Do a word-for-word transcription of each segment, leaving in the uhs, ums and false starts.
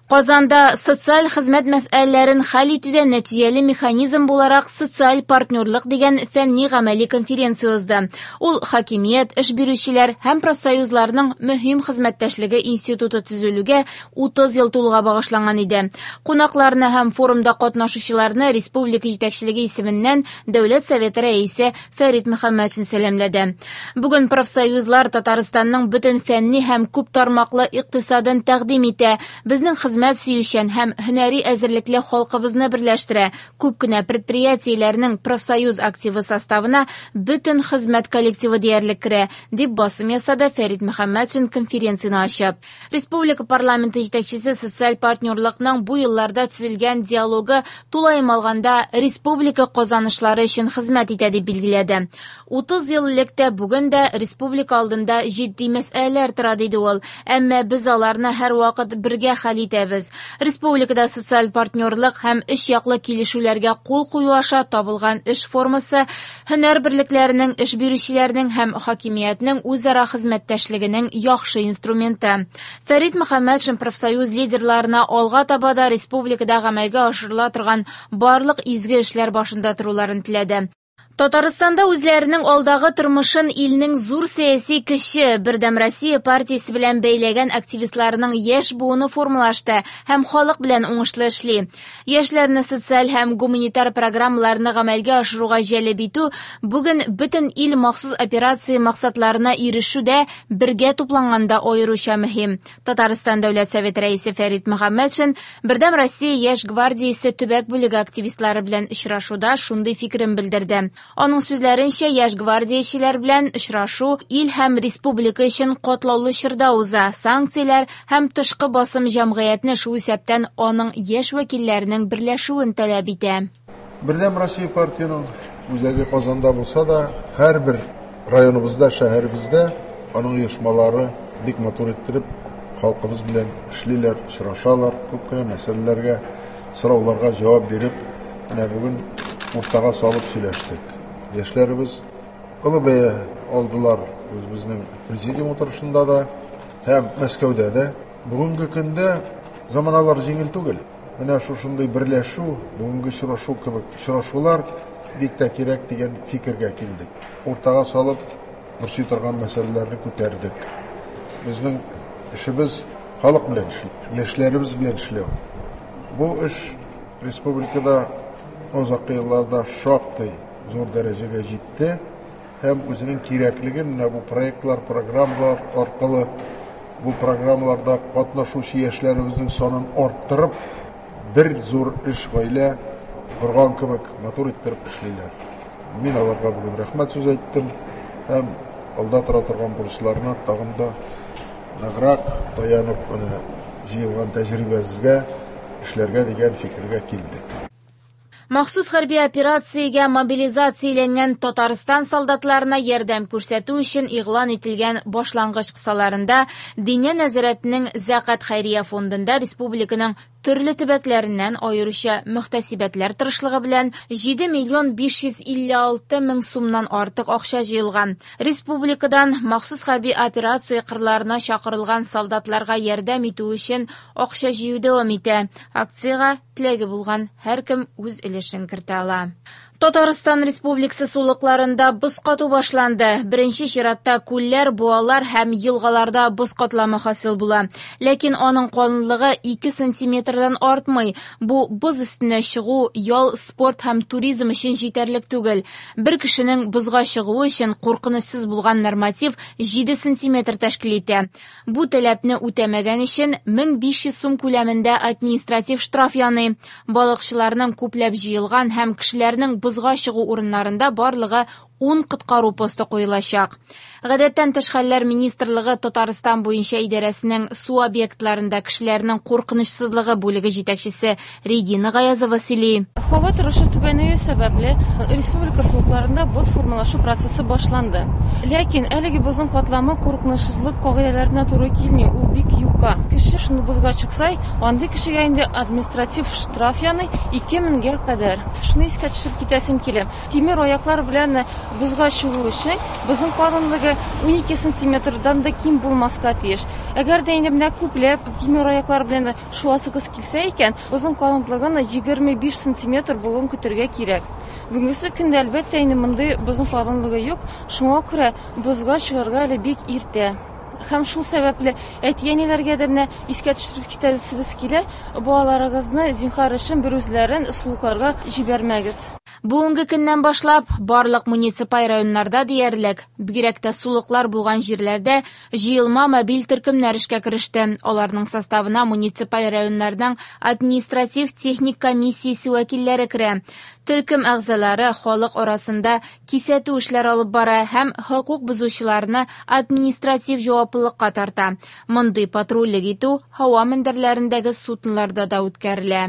Казанда социаль хезмәт мәсьәләләрен хәл итүдә нәтиҗәле механизм буларак социаль партнерлык дигән фәнни-гамәли конференция узды. Ул хакимият, эш бирүчеләр һәм профсоюзларның мөһим хезмәттәшлеге институты төзелүгә утыз ел тулуга багышланган иде. Кунакларны һәм форумда катнашучыларны республика җитәкчелеге исеменнән Дәүләт Советы рәисе Фәрит Мөхәммәтшин сәламләде. Бүген профсоюзлар Татарстанның бөтен фәнни һәм күп тармаклы икътисадын тәкъдим итә. Безнең хезмәт сөючән һәм һөнәри әзерлекле халкыбызны берләштерә. Күп кенә предприятиеләрнең профсоюз активы составына бөтен хезмәт коллективы диярлек керә, дип басым ясады Фәрит Мөхәммәтшин конференцияне ачып. Республика парламенты җитәкчесе социаль партнерлыкның бу елларда төзелгән диалогы тулаем алганда республика казанышлары өчен хезмәт итә дип билгеләде. утыз ел элек тә бүген дә республика алдында җитди мәсьәләләр тора, диде ул. Әмма без аларны һәрвакыт бергә хәл итәбез. Республикада социаль партнерлык һәм өч яклы килешүләргә кул кую аша табылган эш формасы һөнәр берлекләренең, эш бирүчеләрнең һәм хакимиятнең үзара хезмәттәшлегенең яхшы инструменты. Фәрит Мөхәммәтшин профсоюз лидерларына алга таба да республикада гамәлгә ашырыла торган барлык изге эшләр башында торуларын теләде. Татарстанда үзләренең алдагы тормышын илнең зур сәяси көче Бердәм Россия партиясе белән бәйләгән активистларның яшь буыны формалашты һәм халык белән уңышлы эшли. Яшьләрне социаль һәм гуманитар программаларны гамәлгә ашыруга җәлеп итү бүген бөтен ил махсус операция максатларына ирешүдә бергә тупланганда аеруча мөһим. Татарстан Дәүләт Советы рәисе Фәрит Мөхәммәтшин Бердәм Россия яшь гвардиясе төбәк бүлеге активистлары белән очрашуда шундый фикерен белдерде. Аның сүзләренчә, яшь гвардиячеләр белән очрашу ил һәм республика өчен катлаулы чорда уза. Санкцияләр һәм тышкы басым җәмгыятьне, шул исәптән аның яшь вәкилләренең берләшүен таләп итә. Бердәм Россия партияның үзәге Казанда булса да, һәрбер районыбызда, шәһәребездә аның оешмалары бик матур иттереп халкыбыз белән эшлиләр, очрашалар, күп кенә мәсьәләләргә, сорауларга җавап биреп, менә бүген уртага салып сөйләштек. Яшьләребез олы бәя алдылар үзебезнең президиум утырышында да һәм Мәскәүдә дә. Бүгенге көндә заманалар җиңел түгел. Менә шушындый берләшү, бүгенге очрашу кебек очрашулар бик тә кирәк дигән фикергә килдек. Уртага салып борчый торган мәсьәләләрне күтәрдек. Безнең эшебез халык белән эшләү, яшьләребез белән эшләү. Бу эш республикада озак елларда шактый зур дәрәҗәгә җитте һәм үзенең кирәклеген менә бу проектлар, программалар аркылы бу программаларда катнашучы яшьләребезнең санын арттырып, бер зур эш гаилә корган кебек матур иттереп эшлиләр. Мин аларга бүген рәхмәт сүз әйттем һәм алда тора торган бурычларына тагын да ныграк таянып, менә җыелган тәҗрибәбезгә эшләргә дигән фикергә килдек. Махсус хәрби операциягә мобилизацияләнгән Татарстан солдатларына ярдәм күрсәтү өчен игълан ителгән башлангыч кысаларында Диния нәзарәтенең Зәкат хәйрия фондында республиканың төрле төбәкләреннән аеруча мөхтәсибәтләр тырышлыгы белән җиде миллион биш йөз илле алты мең сумнан артык акча җыелган. Республикадан махсус хәрби операция кырларына чакырылган солдатларга ярдәм итү өчен акча җыю дәвам итә. Акциягә теләге булган һәркем үз өлешен кертә ала. Татарстан Республикасы сулыкларында боз кату башланды. Беренче чиратта күлләр, буалар һәм елгаларда боз катламы хасил була. Ләкин аның калынлыгы ике сантиметрдан артмый. Бу боз өстенә чыгу, ял, спорт һәм туризм өчен җитәрлек түгел. Бер кешенең бозга чыгуы өчен куркынычсыз булган норматив җиде сантиметр тәшкил итә. Бу таләпне үтәмәгән өчен мең биш йөз сум күләмендә административ штраф яный. Балыкчыларның күпләп җыелган һәм кешеләрнең бозга чыгу урыннарында барлыгы ун коткару посты куелачак. Гадәттән тыш хәлләр министрлыгы Татарстан буенча идарәсенең су объектларында кешеләрнең куркынычсызлыгы бүлеге җитәкчесе Регина Гаязова сөйли. Һава торышы түбәнәю сәбәпле республика сулыкларында боз формалашу процессы башланды. Ләкин әлеге бозның катламы куркынычсызлык кагыйдәләренә туры килми, ул бик юка. сулыкка. Кеше шуны бозга чыкса, андый кешегә инде административ штраф яный ике меңгә кадәр. Шуны искә төшереп китәсем килә. Тимер аяклар белән бозга чыгу өчен бозның калынлыгы унике сантиметрдан да ким булмаска тиеш. Әгәр дә инде менә күпләп тимер аяклар белән шуасыгыз килсә икән, бозның калынлыгын егерме биш сантиметр булуын көтәргә кирәк. Бүгенге көндә әлбәттә инде мондый бозның калынлыгы юк, шуңа күрә бозга чыгарга әле бик иртә. Һәм шул сәбәпле әти-әниләргә дә менә искә төшереп китәсебез килә, балаларыгызны зинһар өчен бер үзләрен сулыкларга җибәрмәгез. Бүгенге көннән башлап барлык муниципаль районнарда диярлек, бигрәк тә сулыклар булган җирләрдә җыелма мобиль төркемнәр эшкә кереште. Аларның составына муниципаль районнарның административ-техник комиссиясе вәкилләре керә. Төркем әгъзалары халык арасында кисәтү эшләре алып бара һәм хокук бозучыларны административ җаваплылыкка тарта. Мондый патрульлек итү һава мендәрләрендәге судноларда да үткәрелә.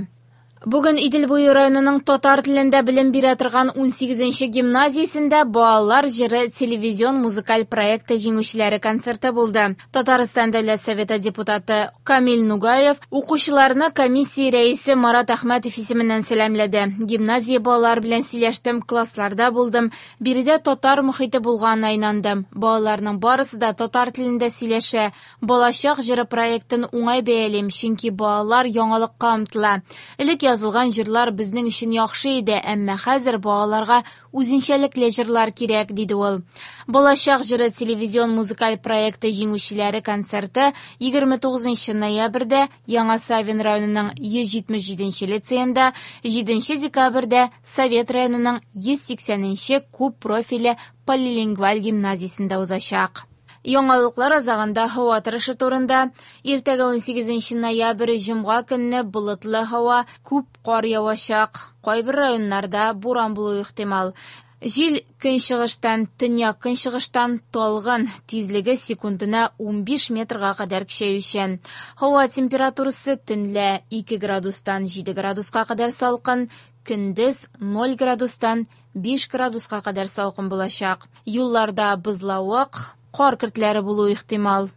Бүген Идел буе районының татар телендә белем бирә торган унсигезенче гимназиясендә Балалар җыры телевизион музыкаль проекты җиңүчеләре концерты булды. Татарстан Дәүләт Советы депутаты Камил Нугаев укучыларны комиссия рәисе Марат Әхмәтов исеменнән сәламләде. Гимназия балалар белән сөйләштем, классларда булдым. Биредә татар мохите булганына инандым. Балаларның барысы да татар телендә сөйләшә. Балачак җыры проектын уңай бәялим, чөнки балалар яңалыкка омтыла. Элек язылган җырлар безнең өчен яхшы иде, әмма хәзер балаларга үзенчәлекле җырлар кирәк, диде ул. Балачак җыры телевизион музыкаль проекты җиңүчеләре концерты егерме тугызынчы ноябрьдә Яңа Савин районының йөз җитмеш җиденче лицеенда, җиденче декабрьдә Совет районының йөз сиксәненче күп профильле полилингваль гимназиясендә узачак. Яңалыклар азагында һава торышы турында. Иртәгә унсигезенче ноябрь җомга көнне болытлы һава, күп кар явачак. Кайбер районнарда буран булуы ихтимал. Җил көнчыгыштан, төньяк көнчыгыштан талгын, тизлеге секундына унбиш метрга кадәр көчәючән. Һава температурасы төнлә ике градустан җиде градуска кадәр салкын, көндез ноль градустан биш градуска кадәр салкын булачак. Юлларда бозлавык, кар көртләре булуы ихтимал.